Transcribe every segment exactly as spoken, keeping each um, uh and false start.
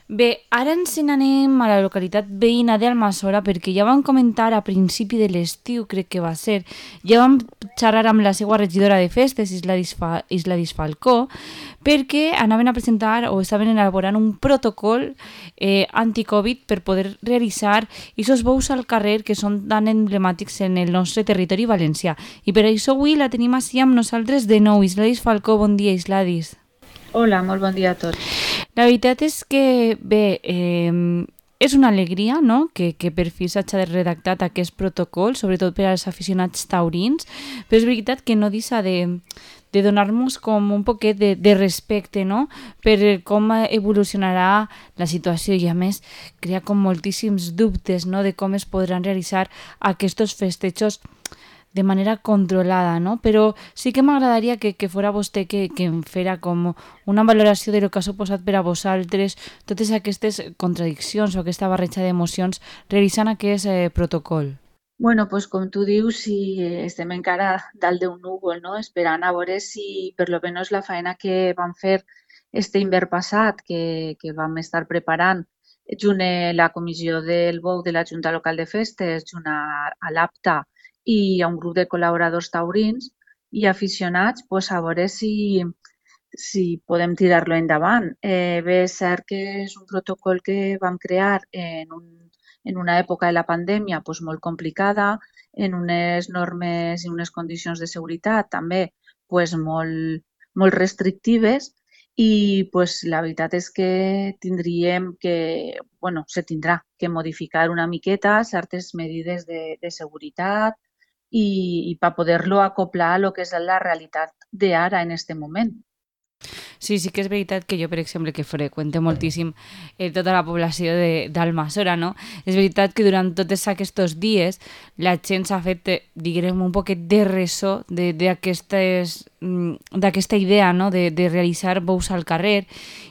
Bé, ara ens n'anem a la localitat veïna d'Almassora perquè ja vam comentar a principi de l'estiu, crec que va ser, ja vam xerrar amb la seva regidora de festes, Isladis, Fa, Isladis Falcó, perquè anaven a presentar o estaven elaborant un protocol eh, anti-Covid per poder realitzar aquests bous al carrer que són tan emblemàtics en el nostre territori valencià. I per això avui la tenim així amb nosaltres de nou. Isladis Falcó, bon dia, Isladis. Hola, molt bon dia a tots. La veritat és que, bé, eh, és una alegria, no?, que, que per fi s'hagi redactat aquest protocol, sobretot per als aficionats taurins, però és veritat que no deixa de, de donar-nos com un poquet de, de respecte, no?, per com evolucionarà la situació i, a més, crea com moltíssims dubtes, no?, de com es podran realitzar aquests festejos de manera controlada, no? Però sí que m'agradaria que, que fora vostè que, que em fera com una valoració de lo que ha suposat per a vosaltres totes aquestes contradiccions o aquesta barreja d'emocions realitzant aquest eh, protocol. Bueno, pues com tu dius, sí, estem encara dalt d'un núvol, no?, esperant a veure si per lo menos la feina que vam fer este hivern passat, que, que vam estar preparant junt a la comissió del bou de la Junta Local de Festes, junt a, a l'APTA i a un grup de col·laboradors taurins i aficionats, pues a veure si, si podem tirar-lo endavant. Eh, bé, és cert que és un protocol que vam crear en, un, en una època de la pandèmia pues, molt complicada, en unes normes i unes condicions de seguretat també pues, molt, molt restrictives i pues, la veritat és que tindríem que, bueno, se tindrà que modificar una miqueta certes medides de, de seguretat i, i per poder-lo acoplar a lo que és la realitat d'ara en este moment. Sí, sí que és veritat que jo, per exemple, que freqüente moltíssim eh, tota la població d'Almassora, no? És veritat que durant tots aquests dies la gent s'ha fet, eh, diguem, un poquet de ressò d'aquesta idea, no?, de, de realitzar bous al carrer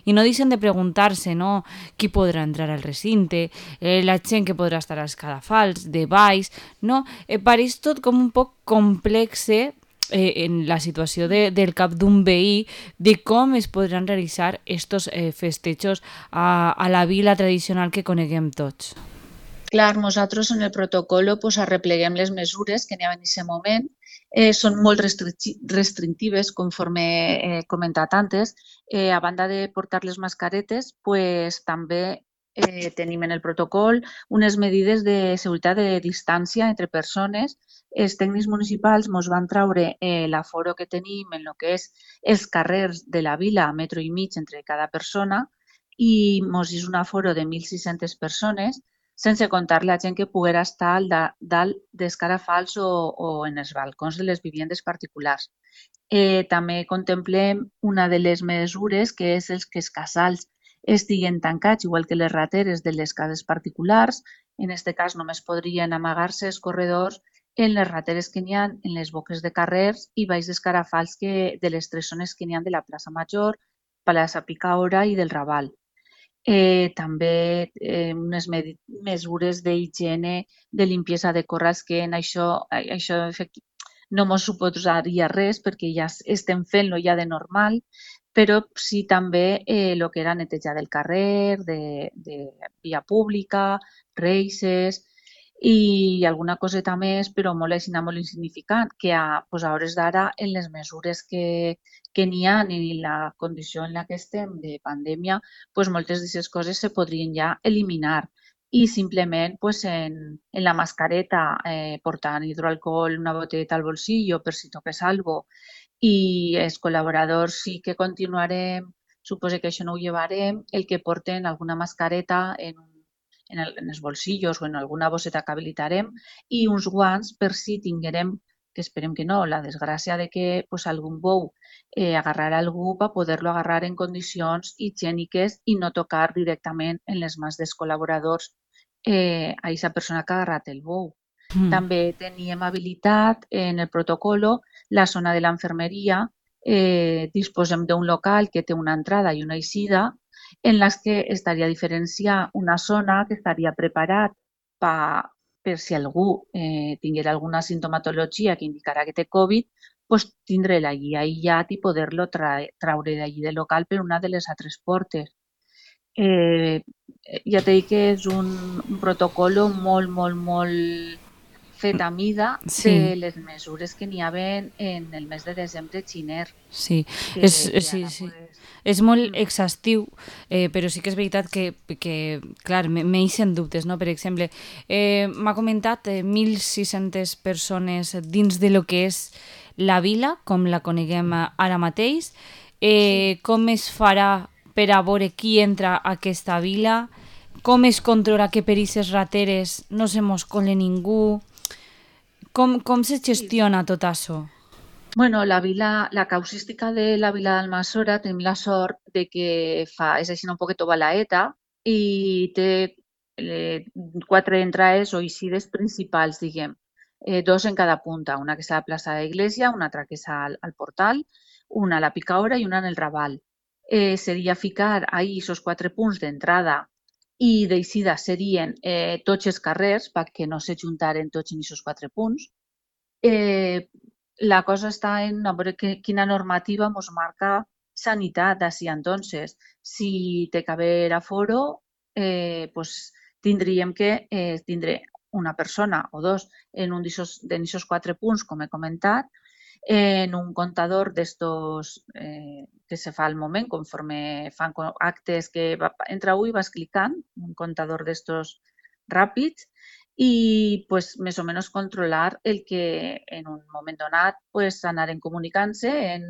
i no deixen de preguntar-se, no?, qui podrà entrar al recinte, eh, la gent que podrà estar als cadafals, de baix, no? Eh, pareix tot com un poc complexe eh, en la situació de, del cap d'un veí de com es podran realitzar estos eh, festejos a, a la vila tradicional que coneguem tots. Clar, nosaltres en el protocol pues, arrepleguem les mesures que n'hi ha en aquest moment. Eh, són molt restrictives, conforme he comentat antes. Eh, a banda de portar les mascaretes, pues, també eh, tenim en el protocol unes medides de seguretat de distància entre persones. Els tècnics municipals ens van treure eh, l'aforo que tenim en el que és els carrers de la vila, metro i mig entre cada persona, i ens és un aforo de mil sis-centes persones, sense comptar la gent que poguera estar al da, dalt d'escarafals o, o en els balcons de les vivendes particulars. Eh, també contemplem una de les mesures que és els que els casals estiguen tancats, igual que les rateres de les cases particulars. En aquest cas només podrien amagar-se els corredors en les rateres que n'hi ha en les boques de carrers i baix d'escarafals que, de les tres zones que n'hi ha de la plaça Major, plaça Picaora i del Raval. Eh, també eh, unes mesures d'higiene, de limpiesa de corrals, que en això, això no ens suposaria res perquè ja estem fent-lo ja de normal, però sí també el eh, que era netejar del carrer, de, de via pública, reixes i alguna coseta més, però molt, molt insignificant, que a, pues a hores d'ara en les mesures que, que n'hi ha i la condició en la que estem de pandèmia, pues moltes d'aquestes coses se podrien ja eliminar i simplement pues, en, en la mascareta eh, portant hidroalcohol, una botelleta al bolsillo per si toques algo, i els col·laboradors sí que continuarem, suposo que això no ho llevarem, el que porten alguna mascareta en, en, el, en els bolsillos o en alguna bosseta que habilitarem i uns guants per si tinguérem, que esperem que no, la desgràcia de que pues, algun bou eh, agarrar algú per poder-lo agarrar en condicions higièniques i no tocar directament en les mans dels col·laboradors eh, a aquesta persona que ha agarrat el bou. Mm. També teníem habilitat en el protocolo la zona de l'enfermeria. Eh, disposem d'un local que té una entrada i una eixida en les que estaria diferenciar una zona que estaria preparat per, per si algú eh, tinguera alguna sintomatologia que indicarà que té Covid, pues, tindre-la allí aïllat i poder-lo tra traure d'allí del local per una de les altres portes. Eh, ja t'he dit que és un, un protocolo molt, molt, molt fet a mida Sí, de les mesures que n'hi havia en el mes de desembre xiner, sí. És, que, és- que sí, ara sí. pues, És molt mm, exhaustiu, eh, però sí que és veritat que, que clar, me- m'eixen dubtes, no? Per exemple, eh, m'ha comentat eh, mil sis-centes persones dins de lo que és la vila, com la coneguem eh, ara mateix. sí. Eh, com es farà per a veure qui entra a aquesta vila? Com es controla que per aquestes rateres no se mos cole ningú? Com, com se Sí, gestiona tot això? bueno, la vila, la causística de la vila d'Almassora tenim la sort de que fa, és així un poquet balaeta i té eh, quatre entrades o eixides principals, diguem. Eh, dos en cada punta, una que és a la plaça de l'Església, una altra que és al, al portal, una a la Picaora i una en el Raval. Eh, seria ficar ahí esos quatre punts d'entrada i d'eixida serien eh, tots els carrers perquè no se juntaren tots en aquests quatre punts. Eh, la cosa està en a veure que, quina normativa ens marca sanitat d'ací entonces. Si té que haver aforo, eh, pues, tindríem que eh, tindre una persona o dos en un d'aquests quatre punts, com he comentat, en un comptador d'estos eh, que se fa al moment, conforme fan actes que va, entra u i vas clicant, un comptador d'estos ràpids, i pues, més o menys controlar el que en un moment donat pues, anaren comunicant-se en,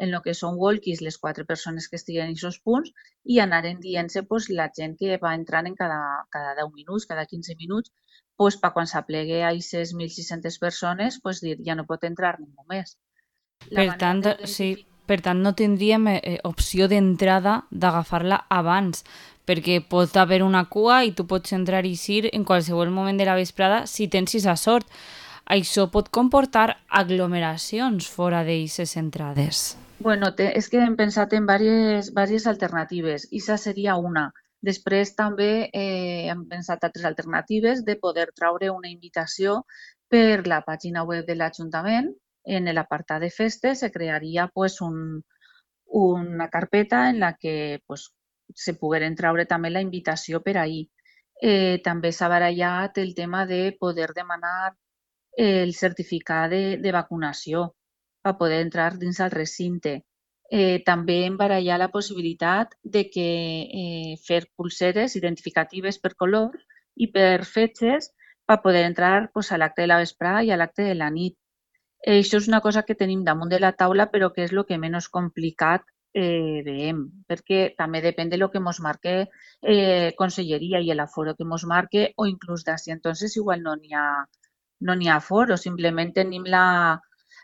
en el que són walkies les quatre persones que estiguen en aquests punts i anaren dient-se pues, la gent que va entrant en cada, cada deu minuts, cada quinze minuts, pues, per quan s'aplegue a aquestes mil sis-centes persones, pues, dir ja no pot entrar ningú més. La Per manera tant, de sí, identificar... per tant no tindríem eh, opció d'entrada d'agafar-la abans, perquè pot haver una cua i tu pots entrar i eixir en qualsevol moment de la vesprada si tens esa sort. Això pot comportar aglomeracions fora d'aquestes entrades. Bueno, te, és que hem pensat en diverses, diverses alternatives i aquesta seria una. Després també eh, hem pensat altres alternatives de poder traure una invitació per la pàgina web de l'Ajuntament. En l'apartat de festes se crearia pues, un, una carpeta en la que pues, se pogueren traure també la invitació per ahir. Eh, també s'ha barallat el tema de poder demanar el certificat de, de vacunació per poder entrar dins el recinte. Eh, també hem barallat la possibilitat de que eh, fer pulseres identificatives per color i per fetges per poder entrar pues, a l'acte de la vesprada i a l'acte de la nit. Eh, això és una cosa que tenim damunt de la taula, però que és el que menys complicat eh, veiem, perquè també depèn de lo que ens marque eh, Conselleria i l'aforo que ens marque, o inclús d'ací entonces igual no n'hi ha, no n'hi ha aforo, simplement tenim la,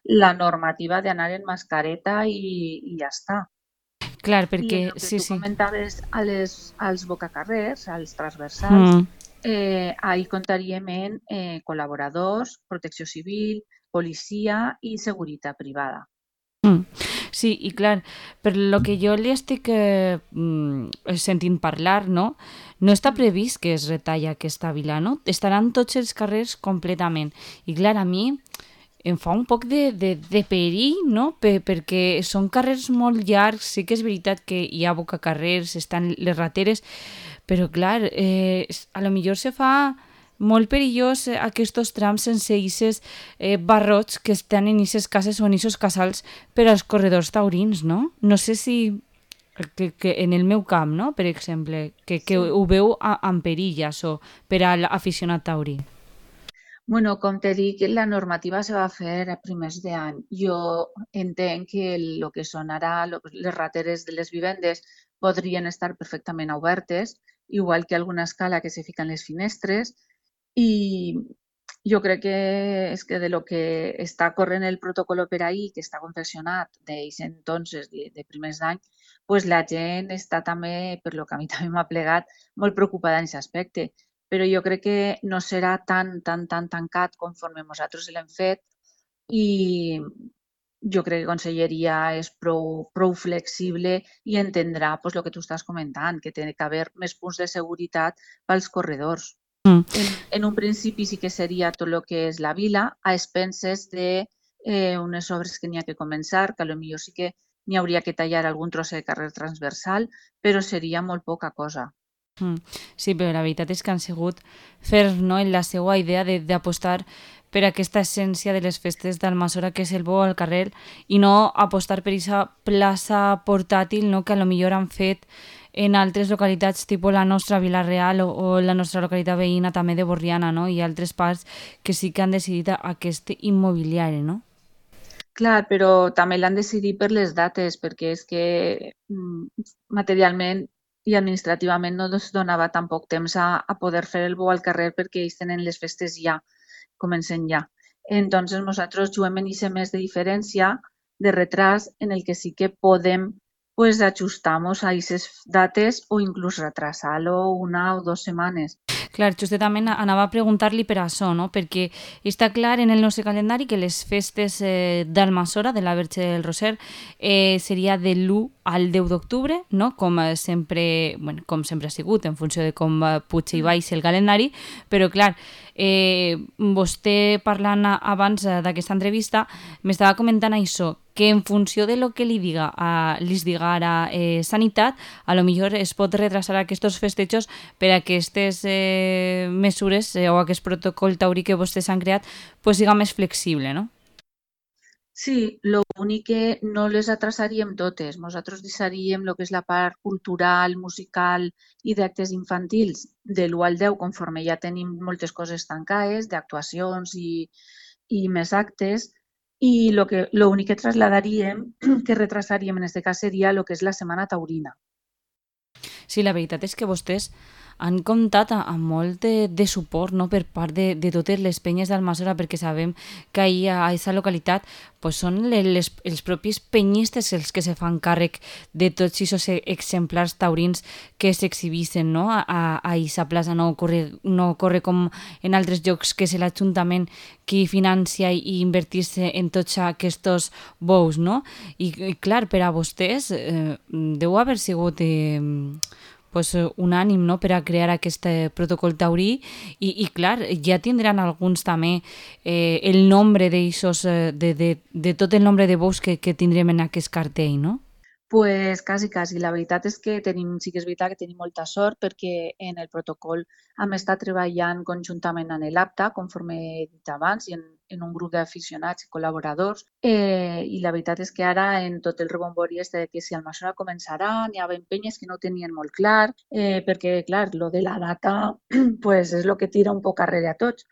la normativa d'anar en mascareta i, i ja està. Clar, I en perquè el que sí, tu sí. comentaves a les, als bocacarrers, als transversals, Mm. eh, ahir comptaríem en eh, col·laboradors, protecció civil, policia i seguretat privada. Mm. Sí, i clar, per lo que jo li estic eh, mm, sentint parlar, no? No està Mm. previst que es retalla aquesta vila, no? Estaran tots els carrers completament. I clar, a mi em fa un poc de, de, de perill, no? Per, perquè són carrers molt llargs, sí que és veritat que hi ha bocacarrers, estan les rateres, però clar, eh, a lo millor se fa molt perillós eh, aquests trams sense aquests eh, barrots que estan en aquestes cases o en aquests casals per als corredors taurins, no? No sé si que, que en el meu camp, no? Per exemple, que, que Sí. ho veu a, en perill, això, per a l'aficionat taurí. Bueno, com te dic, la normativa se va fer a primers d'any. Jo entenc que el que són ara lo- les rateres de les vivendes podrien estar perfectament obertes, igual que alguna escala que se fica en les finestres, i jo crec que és que de lo que està corrent el protocol per ahir, que està confeccionat d'ells entonces, de, de primers d'any, pues la gent està també, per lo que a mi també m'ha plegat, molt preocupada en aquest aspecte. Però jo crec que no serà tan, tan, tan tancat conforme nosaltres l'hem fet i jo crec que Conselleria és prou, prou flexible i entendrà pues, el que tu estàs comentant, que té que haver més punts de seguretat pels corredors. Mm. En, en un principi sí que seria tot el que és la vila, a expenses de eh, unes obres que n'hi ha que començar, que potser sí que n'hi hauria que tallar algun tros de carrer transversal, però seria molt poca cosa. Mm. Sí, però la veritat és que han sigut ferms, no?, en la seva idea de- d'apostar per aquesta essència de les festes d'Almassora, que és el bo al carrer, i no apostar per aquesta plaça portàtil, no?, que a lo millor han fet en altres localitats, tipus la nostra Vila-real o, o la nostra localitat veïna també de Borriana, no?, i altres parts que sí que han decidit a- aquest immobiliari, no? Clar, però també l'han decidit per les dates, perquè és que mm, materialment i administrativament no es donava tampoc temps a, a poder fer el bo al carrer perquè ells tenen les festes ja, comencen ja. Entonces nosaltres juguem en aquest mes de diferència, de retras, en el que sí que podem pues, ajustar-nos a aquestes dates o inclús retrasar-lo una o dues setmanes. Clar, justament anava a preguntar-li per això, no? Perquè està clar en el nostre calendari que les festes eh, d'Almassora, de la Verge del Roser, eh, seria de l'u al deu d'octubre, no? Com eh, sempre, bueno, com sempre ha sigut, en funció de com eh, puja i baixa el calendari, però clar, eh, vostè parlant abans eh, d'aquesta entrevista m'estava comentant això, que en funció de lo que li diga a, li diga ara eh, Sanitat, a lo millor es pot retrasar aquests festejos per a aquestes eh, mesures eh, o aquest protocol taurí que vostès han creat pues, siga més flexible, no? Sí, lo únic que no les atrasaríem totes. Nosaltres deixaríem el que és la part cultural, musical i d'actes infantils de l'u al deu, conforme ja tenim moltes coses tancades, d'actuacions i, i més actes, i lo que, lo únic que trasladaríem, que retrasaríem en aquest cas, seria el que és la Setmana Taurina. Sí, la veritat és que vostès han comptat a- amb molt de, de suport, no?, per part de, de totes les penyes d'Almassora, perquè sabem que ahir a aquesta localitat pues, són le- les, els propis penyistes els que se fan càrrec de tots aquests exemplars taurins que s'exhibeixen, no?, a, a, a aquesta plaça. No corre, no corre com en altres llocs que és l'Ajuntament qui financia i, i invertís en tots aquests bous, no? I, i clar, per a vostès eh, deu haver sigut eh, pues, eh, unànim, no?, per a crear aquest eh, protocol taurí i, i clar, ja tindran alguns també eh, el nombre d'eixos, eh, de, de, de tot el nombre de bous que, que tindrem en aquest cartell, no? Pues quasi, quasi. La veritat és que tenim, sí que és veritat que tenim molta sort perquè en el protocol hem estat treballant conjuntament amb l'APTA, conforme he dit abans, i en, en un grup d'aficionats i col·laboradors. Eh, I la veritat és que ara, en tot el rebombori este de que si Almassora començarà, n'hi ha penyes que no tenien molt clar, eh, perquè, clar, lo de la data pues, és el que tira un poc arrere a tots.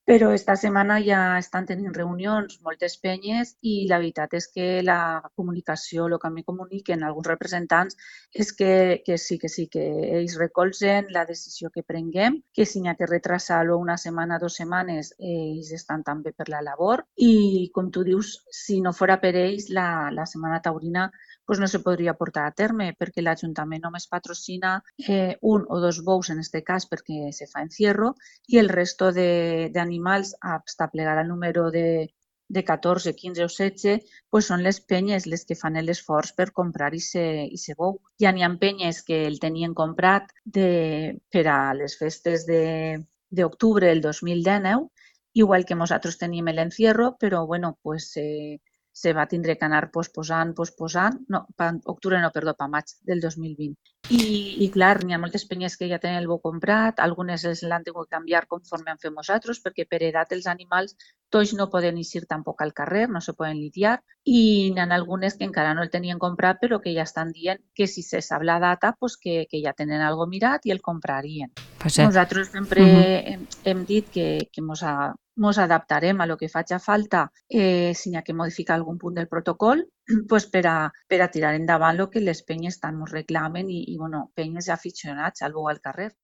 Però esta setmana ja estan tenint reunions moltes penyes i la veritat és que la comunicació, el que a mi comuniquen alguns representants és que, que sí, que sí, que ells recolzen la decisió que prenguem, que si n'hi ha que retrasar-lo una setmana, dues setmanes, ells estan també per la labor i, com tu dius, si no fora per ells, la, la Setmana Taurina pues no se podria portar a terme perquè l'Ajuntament només patrocina eh, un o dos bous en aquest cas perquè se fa encierro i el resto d'animals hasta plegar al número de, de catorze, quinze o setze pues són les penyes les que fan l'esforç per comprar aquest bou. Ja n'hi ha penyes que el tenien comprat de, per a les festes d'octubre del dos mil dinou, igual que nosaltres tenim l'encierro, però bueno, pues, eh, se va tindre que anar posposant, posposant, no, pa octubre no, perdó, pa maig del dos mil vint. I, i clar, n'hi ha moltes penyes que ja tenen el bo comprat, algunes l'han tingut que canviar conforme han fet nosaltres, perquè per edat els animals tots no poden eixir tampoc al carrer, no se poden lidiar, i n'hi ha algunes que encara no el tenien comprat, però que ja estan dient que si se sap la data, pues que, que ja tenen algo mirat i el comprarien. Pues, eh, Nosaltres sempre uh -huh. hem, hem dit que, que mos, a, mos adaptarem a lo que faci falta eh, si n'hi ha que modificar algun punt del protocol pues per, a, per a tirar endavant el que les penyes tant ens reclamen i, i bueno, penyes i aficionats al bo al carrer.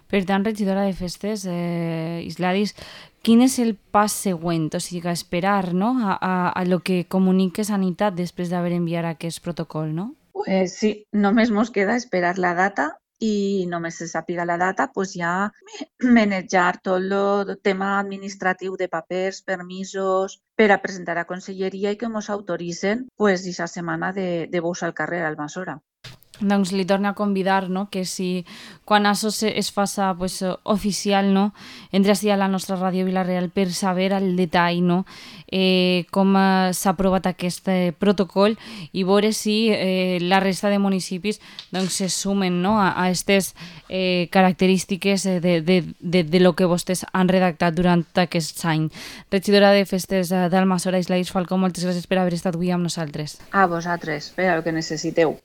Per tant, regidora de festes, eh, Isladis, quin és el pas següent? O sigui, esperar, no?, a, a, a lo que comunique Sanitat després d'haver enviat aquest protocol, no? Pues sí, només mos queda esperar la data i només se sàpiga la data, pues ja manejar tot el tema administratiu de papers, permisos, per a presentar a Conselleria i que ens autoritzen pues, aquesta setmana de, de bous al carrer a Almassora. doncs li torna a convidar, no? Que si quan això se- es faça pues, eh, oficial, no? Entri ací a la nostra ràdio Vila-real per saber al detall, no? Eh, com eh, s'ha aprovat aquest eh, protocol i veure si eh, la resta de municipis doncs, se sumen, no? a aquestes eh, característiques eh, de, de, de, de lo que vostès han redactat durant aquest any. Regidora de Festes eh, d'Almassora, Islaís Falcó, moltes gràcies per haver estat avui amb nosaltres. A vosaltres, per al que necessiteu.